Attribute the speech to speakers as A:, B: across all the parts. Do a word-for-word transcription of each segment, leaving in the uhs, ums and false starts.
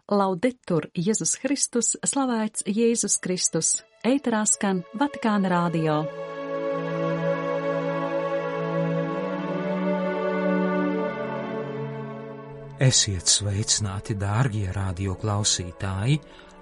A: Laudetur Jēzus Kristus, slavēts Jēzus Kristus, ēterā skan Vatikāna radio.
B: Esiet sveicināti, dārgie radio klausītāji,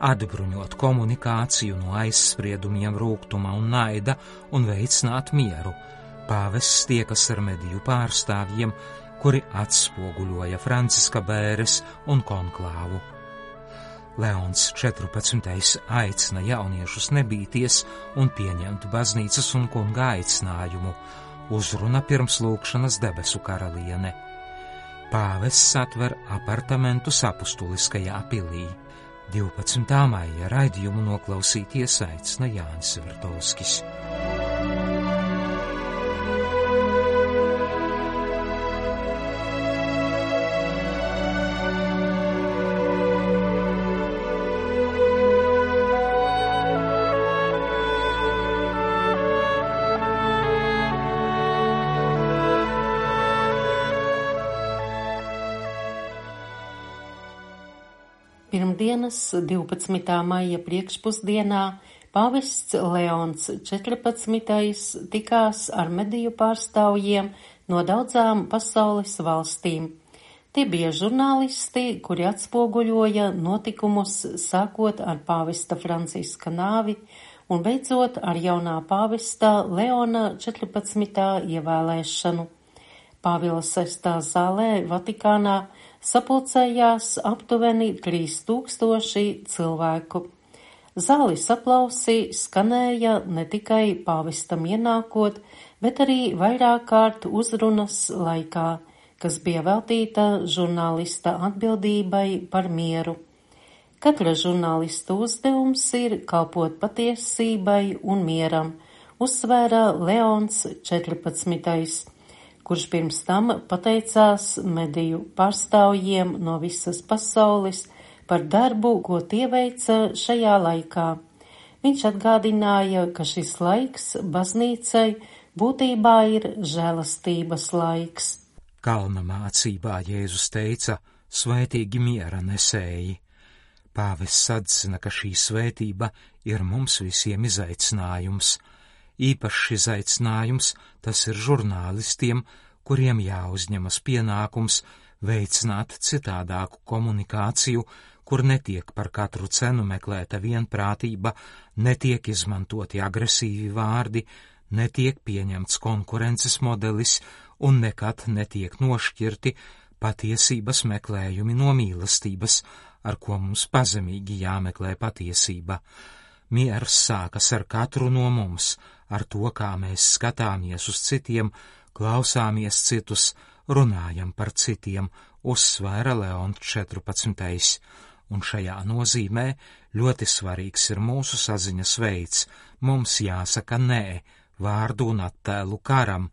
B: atbruņot komunikāciju no aizspriedumiem, rūgtuma un naida un veicināt mieru. Pāvests tiekas ar mediju pārstāvjiem, kuri atspoguļoja Franciska bēres un konklāvu. Leons četrpadsmitais aicina jauniešus nebīties un pieņemt baznīcas un kunga aicinājumu, uzruna pirms lūgšanas debesu karaliene. Pāvests atver apartamentus apustuliskajā pilī. divpadsmitā maija raidījumu noklausīties aicina Jānis Vertovskis.
C: Pirmdienas divpadsmitā maija priekšpusdienā pāvests Leons četrpadsmitais tikās ar mediju pārstāvjiem no daudzām pasaules valstīm. Tie bija žurnālisti, kuri atspoguļoja notikumus sākot ar pāvesta Franciska nāvi un beidzot ar jaunā pāvesta Leona četrpadsmitā ievēlēšanu. Pāvila sestā zālē Vatikānā sapulcējās aptuveni trīs tūkstoši cilvēku. Zāles aplausi skanēja ne tikai pāvestam ienākot, bet arī vairāk kārt uzrunas laikā, kas bija veltīta žurnālista atbildībai par mieru. Katra žurnālista uzdevums ir kalpot patiesībai un mieram, uzsvēra Leons četrpadsmitais. Kurš pirms tam pateicās mediju pārstāvjiem no visas pasaules par darbu, ko tie veica šajā laikā. Viņš atgādināja, ka šis laiks baznīcai būtībā ir žēlastības laiks.
B: Kalna mācībā Jēzus teica: svētīgi miera nesēji. Pāvests atzina, ka šī svētība ir mums visiem izaicinājums. Īpašs izaicinājums tas ir žurnālistiem, kuriem jāuzņemas pienākums veicināt citādāku komunikāciju, kur netiek par katru cenu meklēta vienprātība, netiek izmantoti agresīvi vārdi, netiek pieņemts konkurences modelis un nekad netiek nošķirti patiesības meklējumi no mīlestības, ar ko mums pazemīgi jāmeklē patiesība. Miers sākas ar katru no mums, ar to, kā mēs skatāmies uz citiem, klausāmies citus, runājam par citiem, uzsvēra Leons četrpadsmitais. Un šajā nozīmē ļoti svarīgs ir mūsu saziņas veids. Mums jāsaka nē vārdu un attēlu karam.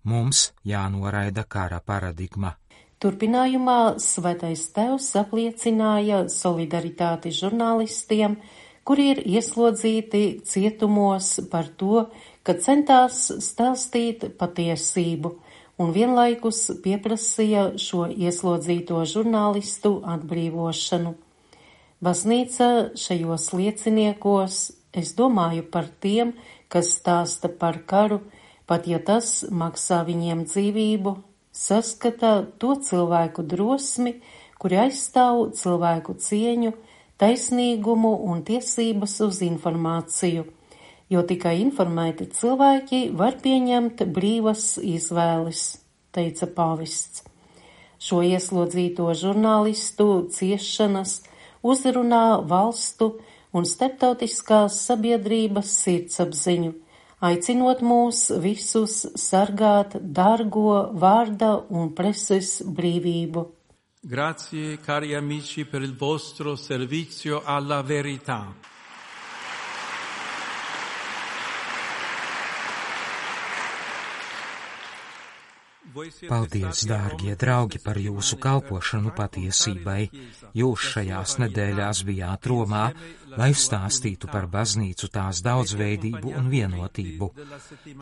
B: Mums jānoraida kara paradigma.
C: Turpinājumā Svētais Tēvs apliecināja solidaritāti žurnālistiem, kuri ir ieslodzīti cietumos par to, ka centās stāstīt patiesību, un vienlaikus pieprasīja šo ieslodzīto žurnālistu atbrīvošanu. Baznīca šajos lieciniekos, es domāju par tiem, kas stāsta par karu, pat ja tas maksā viņiem dzīvību, saskata to cilvēku drosmi, kuri aizstāv cilvēku cieņu, taisnīgumu un tiesības uz informāciju, jo tikai informēti cilvēki var pieņemt brīvas izvēles, teica pāvests. Šo ieslodzīto žurnālistu ciešanas uzrunā valstu un starptautiskās sabiedrības sirdsapziņu, aicinot mūs visus sargāt dārgo vārda un preses brīvību.
D: Grazie, cari amici, per il vostro servizio alla verità.
B: Paldies, dārgie draugi, par jūsu kalpošanu patiesībai. Jūs šajās nedēļās bijāt Romā, lai stāstītu par baznīcu, tās daudzveidību un vienotību.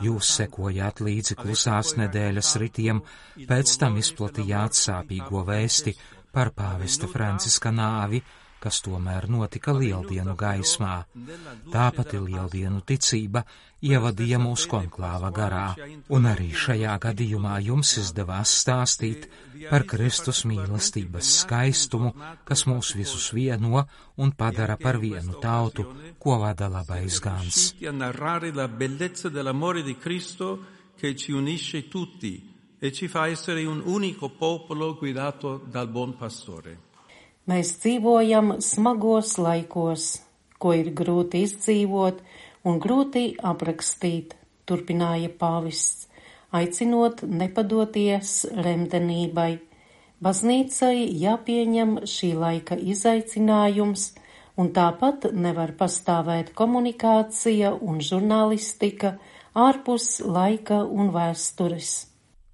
B: Jūs sekojāt līdzi klusās nedēļas ritiem, pēc tam izplatījāt sāpīgo vēsti par pāvesta Franciska nāvi, kas tomēr notika lieldienu gaismā. Tāpat lieldienu ticība ievadīja mūs konklāva garā, un arī šajā gadījumā jums izdevās stāstīt par Kristus mīlestības skaistumu, kas mūs visus vieno un padara par vienu tautu, ko vada labais gans.
D: Che ci unisce tutti e ci fa essere un unico popolo guidato dal buon pastore.
C: Mēs dzīvojam smagos laikos, ko ir grūti izdzīvot un grūti aprakstīt, turpināja pāvests, aicinot nepadoties remdenībai. Baznīcai jāpieņem šī laika izaicinājums, un tāpat nevar pastāvēt komunikācija un žurnālistika ārpus laika un vēstures.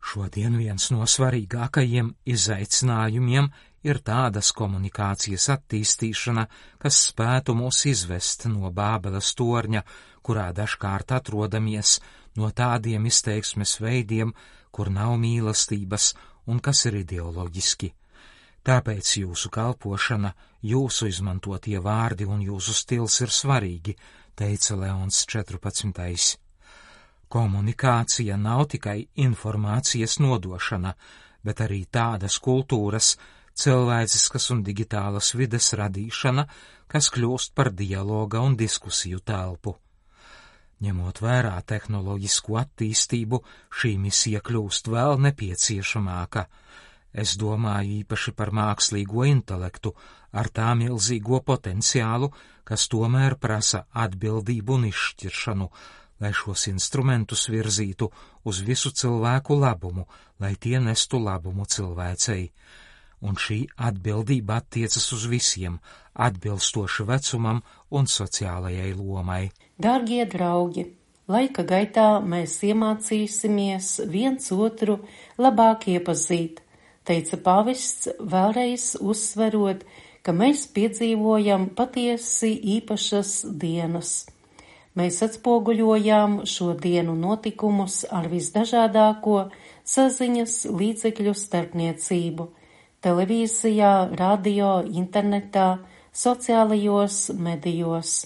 B: Šodien viens no svarīgākajiem izaicinājumiem ir tādas komunikācijas attīstīšana, kas spētu mūs izvest no Bābeles torņa, kurā dažkārt atrodamies, no tādiem izteiksmes veidiem, kur nav mīlestības un kas ir ideoloģiski. Tāpēc jūsu kalpošana, jūsu izmantotie vārdi un jūsu stils ir svarīgi, teica Leons četrpadsmitais. Komunikācija nav tikai informācijas nodošana, bet arī tādas kultūras, cilvēciskas un digitālas vides radīšana, kas kļūst par dialoga un diskusiju telpu. Ņemot vērā tehnoloģisko attīstību, šī misija kļūst vēl nepieciešamāka. Es domāju īpaši par mākslīgo intelektu, ar tā milzīgo potenciālu, kas tomēr prasa atbildību un izšķiršanu, lai šos instrumentus virzītu uz visu cilvēku labumu, lai tie nestu labumu cilvēcei. Un šī atbildība attiecas uz visiem, atbilstoši vecumam un sociālajai lomai.
C: Dārgie draugi, laika gaitā mēs iemācīsimies viens otru labāk iepazīt, teica pāvests, vēlreiz uzsverot, ka mēs piedzīvojam patiesi īpašas dienas. Mēs atspoguļojām šo dienu notikumus ar visdažādāko saziņas līdzekļu starpniecību – televīzijā, radio, internetā, sociālajos medijos.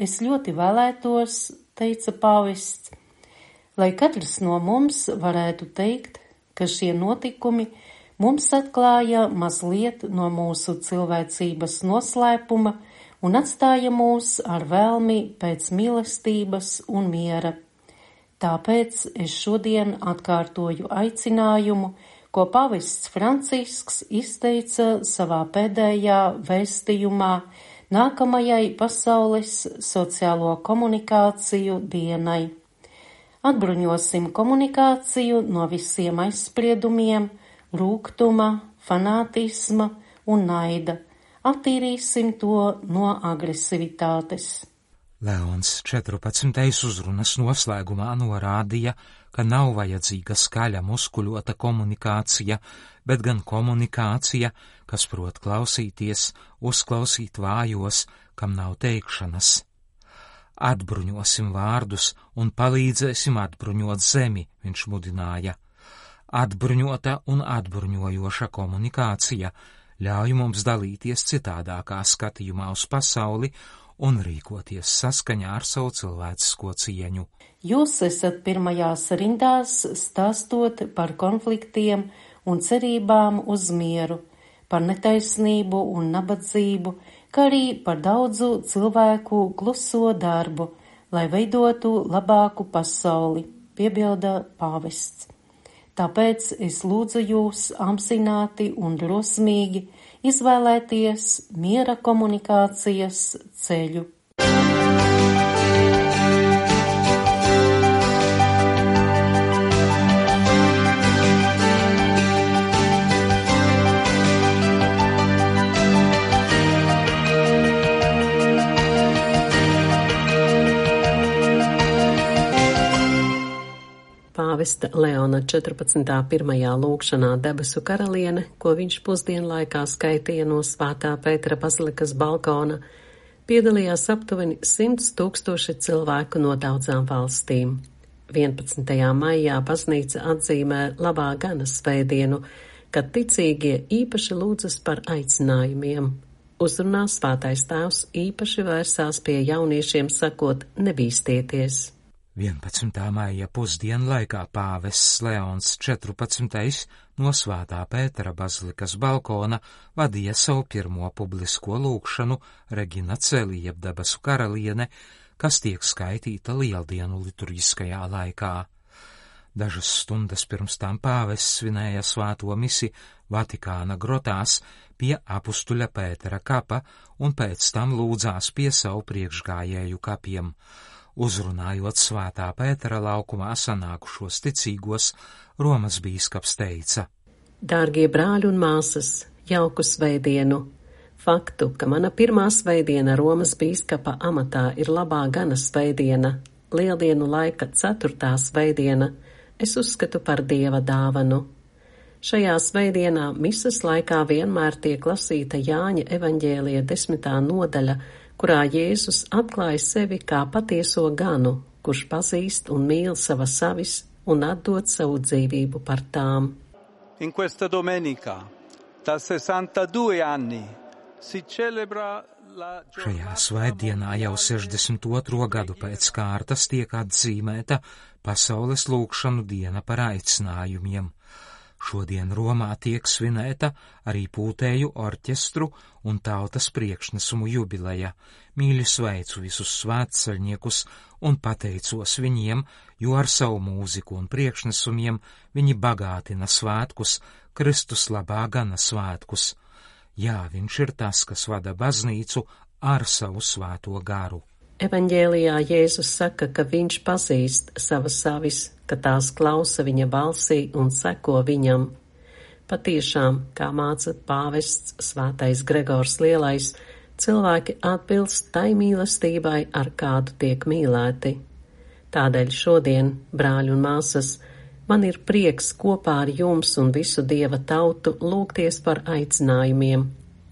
C: Es ļoti vēlētos, teica pāvests, lai katrs no mums varētu teikt, ka šie notikumi mums atklāja mazliet no mūsu cilvēcības noslēpuma un atstāja mūs ar vēlmi pēc mīlestības un miera. Tāpēc es šodien atkārtoju aicinājumu, ko pāvests Francisks izteica savā pēdējā vēstījumā nākamajai pasaules sociālo komunikāciju dienai. Atbruņosim komunikāciju no visiem aizspriedumiem, rūgtuma, fanātisma un naida. Attīrīsim to no agresivitātes.
B: Leons četrpadsmitais uzrunas noslēgumā norādīja, ka nav vajadzīga skaļa muskuļota komunikācija, bet gan komunikācija, kas prot klausīties, uzklausīt vājos, kam nav teikšanas. Atbruņosim vārdus un palīdzēsim atbruņot zemi, viņš mudināja. Atbruņota un atbruņojoša komunikācija ļauj mums dalīties citādākā skatījumā uz pasauli un rīkoties saskaņā ar savu cilvēcisko cieņu.
C: Jūs esat pirmajās rindās stāstot par konfliktiem un cerībām uz mieru, par netaisnību un nabadzību, kā arī par daudzu cilvēku kluso darbu, lai veidotu labāku pasauli, piebilda pāvests. Tāpēc es lūdzu jūs apzināti un drosmīgi izvēlēties miera komunikācijas ceļu.
E: Pāvesta Leona četrpadsmitā pirmajā lūgšanā debesu karaliene, ko viņš pusdienlaikā skaitīja no Svētā Pētera bazilikas balkona, piedalījās aptuveni simts tūkstoši cilvēku no daudzām valstīm. vienpadsmitajā maijā baznīca atzīmē labā gana svētdienu, kad ticīgie īpaši lūdzas par aicinājumiem. Uzrunā Svētais Tēvs īpaši vērsās pie jauniešiem, sakot: nebīsties.
B: vienpadsmitā maija pusdienu laikā pāvests Leons četrpadsmitais no Svētā Pētera bazilikas balkona vadīja savu pirmo publisko lūgšanu Regina Celi, jeb debesu karaliene, kas tiek skaitīta lieldienu liturģiskajā laikā. Dažas stundas pirms tam pāvests svinēja svēto misi Vatikāna grotās pie apustuļa Pētera kapa un pēc tam lūdzās pie savu priekšgājēju kapiem. Uzrunājot Svētā Pētera laukumā sanākušos ticīgos, Romas bīskaps teica:
E: Dārgie brāļi un māsas, jauku svētdienu! Faktu, ka mana pirmā svētdiena Romas bīskapa amatā ir labā gana svētdiena, lieldienu laika ceturtā svētdiena, es uzskatu par Dieva dāvanu. Šajā svētdienā misas laikā vienmēr tiek lasīta Jāņa evaņģēlija desmitā nodaļa, kurā Jēzus atklāja sevi kā patieso ganu, kurš pazīst un mīl savas savis un atdod savu dzīvību par tām.
D: In questa domenica, da sessantadue anni, si celebra la
B: Šajā svētdienā jau sešdesmit otro gadu pēc kārtas tiek atzīmēta pasaules lūgšanu diena par aicinājumiem. Šodien Romā tiek svinēta arī pūtēju orķestru un tautas priekšnesumu jubileja. Mīļi sveicu visus svētceļniekus un pateicos viņiem, jo ar savu mūziku un priekšnesumiem viņi bagātina svētkus, Kristus labā gana svētkus. Jā, viņš ir tas, kas vada baznīcu ar savu svēto garu.
E: Evaņģēlijā Jēzus saka, ka viņš pazīst savas savis, ka tās klausa viņa balsī un seko viņam. Patiešām, kā māca pāvests Svētais Gregors Lielais, cilvēki atbilst tai mīlestībai, ar kādu tiek mīlēti. Tādēļ šodien, brāļi un māsas, man ir prieks kopā ar jums un visu Dieva tautu lūgties par aicinājumiem,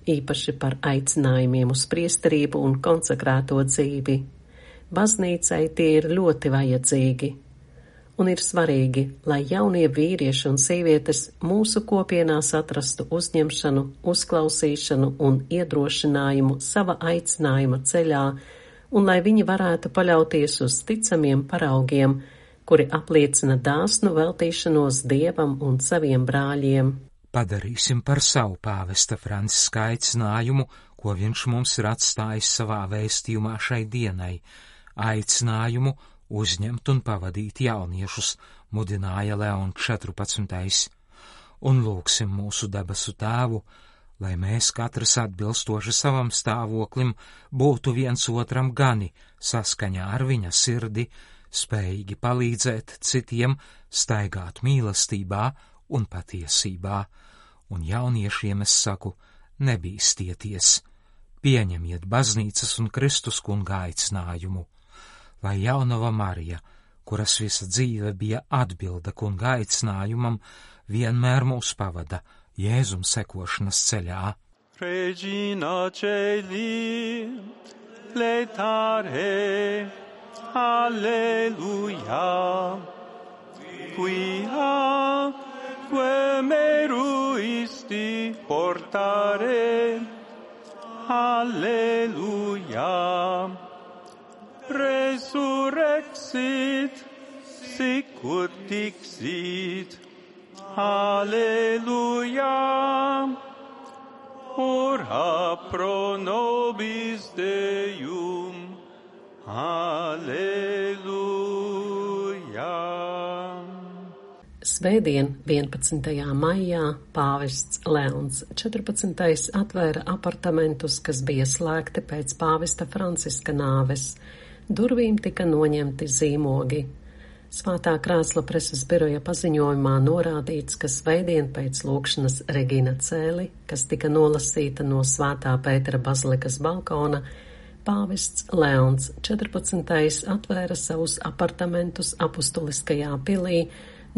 E: īpaši par aicinājumiem uz priesterību un konsekrēto dzīvi. Baznīcai tie ir ļoti vajadzīgi. Un ir svarīgi, lai jaunie vīrieši un sievietes mūsu kopienās atrastu uzņemšanu, uzklausīšanu un iedrošinājumu sava aicinājuma ceļā, un lai viņi varētu paļauties uz ticamiem paraugiem, kuri apliecina dāsnu veltīšanos Dievam un saviem brāļiem.
B: Padarīsim par savu pāvesta Franciska aicinājumu, ko viņš mums ir atstājis savā vēstījumā šai dienai. Aicinājumu uzņemt un pavadīt jauniešus, mudināja Leons četrpadsmitais. Un lūgsim mūsu debesu Tēvu, lai mēs katrs atbilstoši savam stāvoklim būtu viens otram gani, saskaņā ar viņa sirdi, spējīgi palīdzēt citiem staigāt mīlestībā un patiesībā. Un jauniešiem es saku, nebīstieties, pieņemiet baznīcas un Kristus kunga aicinājumu. Lai jaunava Marija, kuras visa dzīve bija atbilde kunga aicinājumam, vienmēr mūs pavada Jēzum sekošanas ceļā.
D: Regina Celi, letare, alleluia, quia que meruisti portare, alleluia. Resurrexit, sicut dixit, alleluia, ora pro nobis Deum, alleluia.
E: Svētdien, vienpadsmitajā maijā, pāvests Leons četrpadsmitais atvēra apartamentus, kas bija slēgti pēc pāvesta Franciska nāves. Durvīm tika noņemti zīmogi. Svētā krēsla preses biroja paziņojumā norādīts, ka svētdien pēc lūgšanas Regina Celi, kas tika nolasīta no Svētā Pētera bazilikas balkona, pāvests Leons četrpadsmitais atvēra savus apartamentus apustuliskajā pilī,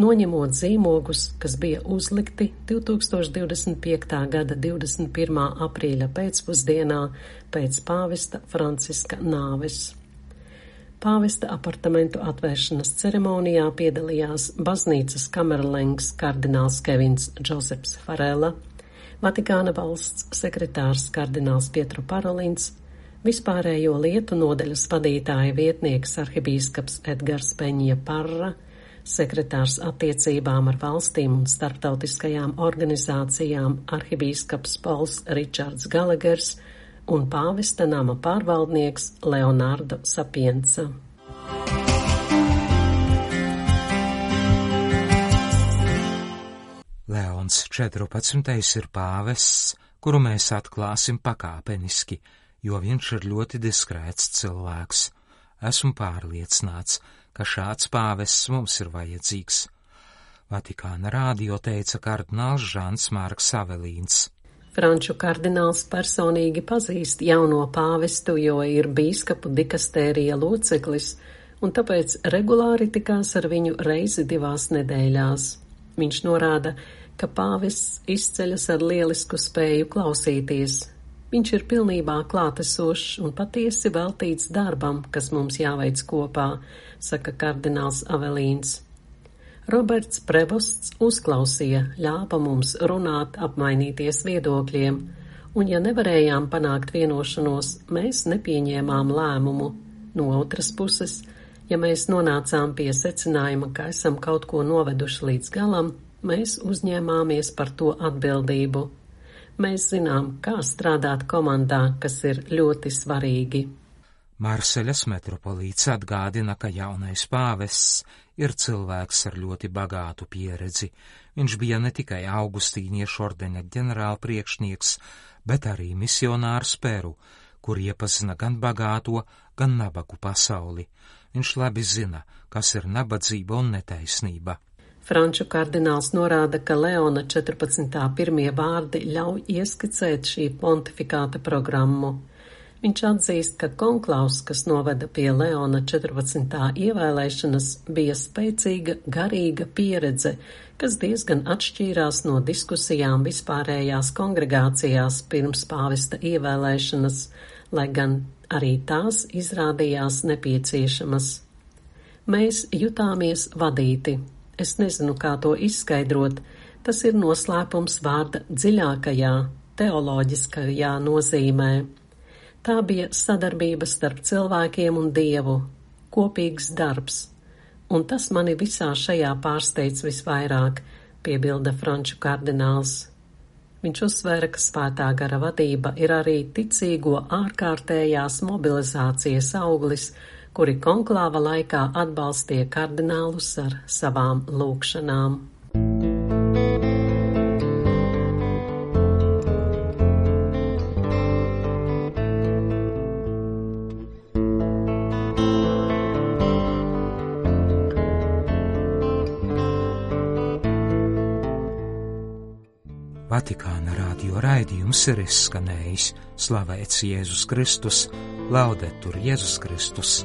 E: noņemot zīmogus, kas bija uzlikti divtūkstoš divdesmit piektā gada divdesmit pirmā aprīļa pēcpusdienā pēc pāvesta Franciska nāves. Pāvesta apartamentu atvēršanas ceremonijā piedalījās baznīcas kamerlengs kardināls Kevins Džozefs Farela, Vatikāna valsts sekretārs kardināls Pietro Parolins, vispārējo lietu nodaļas vadītāja vietnieks arhibīskaps Edgars Peņa Parra, sekretārs attiecībām ar valstīm un starptautiskajām organizācijām arhibīskaps Pols Ričards Galagers un pāvesta nama pārvaldnieks Leonardo Sapienza.
B: Leons četrpadsmitais ir pāvests, kuru mēs atklāsim pakāpeniski, jo viņš ir ļoti diskrēts cilvēks. Esmu pārliecināts, ka šāds pāvests mums ir vajadzīgs. Vatikāna rādio teica kardināls Žans Marks Avelīns.
E: Franču kardināls personīgi pazīst jauno pāvestu, jo ir bīskapu dikastērija loceklis, un tāpēc regulāri tikās ar viņu reizi divās nedēļās. Viņš norāda, ka pāvests izceļas ar lielisku spēju klausīties. Viņš ir pilnībā klātesošs un patiesi veltīts darbam, kas mums jāveic kopā, saka kardināls Avelīns. Roberts Prevosts uzklausīja, ļāva mums runāt, apmainīties viedokļiem, un ja nevarējām panākt vienošanos, mēs nepieņēmām lēmumu. No otras puses, ja mēs nonācām pie secinājuma, ka esam kaut ko noveduši līdz galam, mēs uzņēmāmies par to atbildību. Mēs zinām, kā strādāt komandā, kas ir ļoti svarīgi.
B: Marseļas metropolīts atgādina, ka jaunais pāvests ir cilvēks ar ļoti bagātu pieredzi. Viņš bija ne tikai Augustīniešu ordeņa ģenerālpriekšnieks, bet arī misionārs Peru, kur iepazina gan bagāto, gan nabagu pasauli. Viņš labi zina, kas ir nabadzība un netaisnība.
E: Franču kardināls norāda, ka Leona četrpadsmitā pirmie vārdi ļauj ieskicēt šī pontifikāta programmu. Viņš atzīst, ka konklaus, kas noveda pie Leona četrpadsmitā ievēlēšanas, bija spēcīga garīga pieredze, kas diezgan atšķīrās no diskusijām vispārējās kongregācijās pirms pāvesta ievēlēšanas, lai gan arī tās izrādījās nepieciešamas. Mēs jutāmies vadīti. Es nezinu, kā to izskaidrot. Tas ir noslēpums vārda dziļākajā, teoloģiskajā nozīmē. Tā bija sadarbība starp cilvēkiem un Dievu, kopīgs darbs, un tas mani visā šajā pārsteidz visvairāk, piebilda franču kardināls. Viņš uzsvēra, ka svētā gara vadība ir arī ticīgo ārkārtējās mobilizācijas auglis, kuri konklāva laikā atbalstīja kardinālus ar savām lūgšanām.
B: Vatikāna rādio raidījums ir izskanējis. Slavēts Jēzus Kristus, laudetur Jēzus Kristus.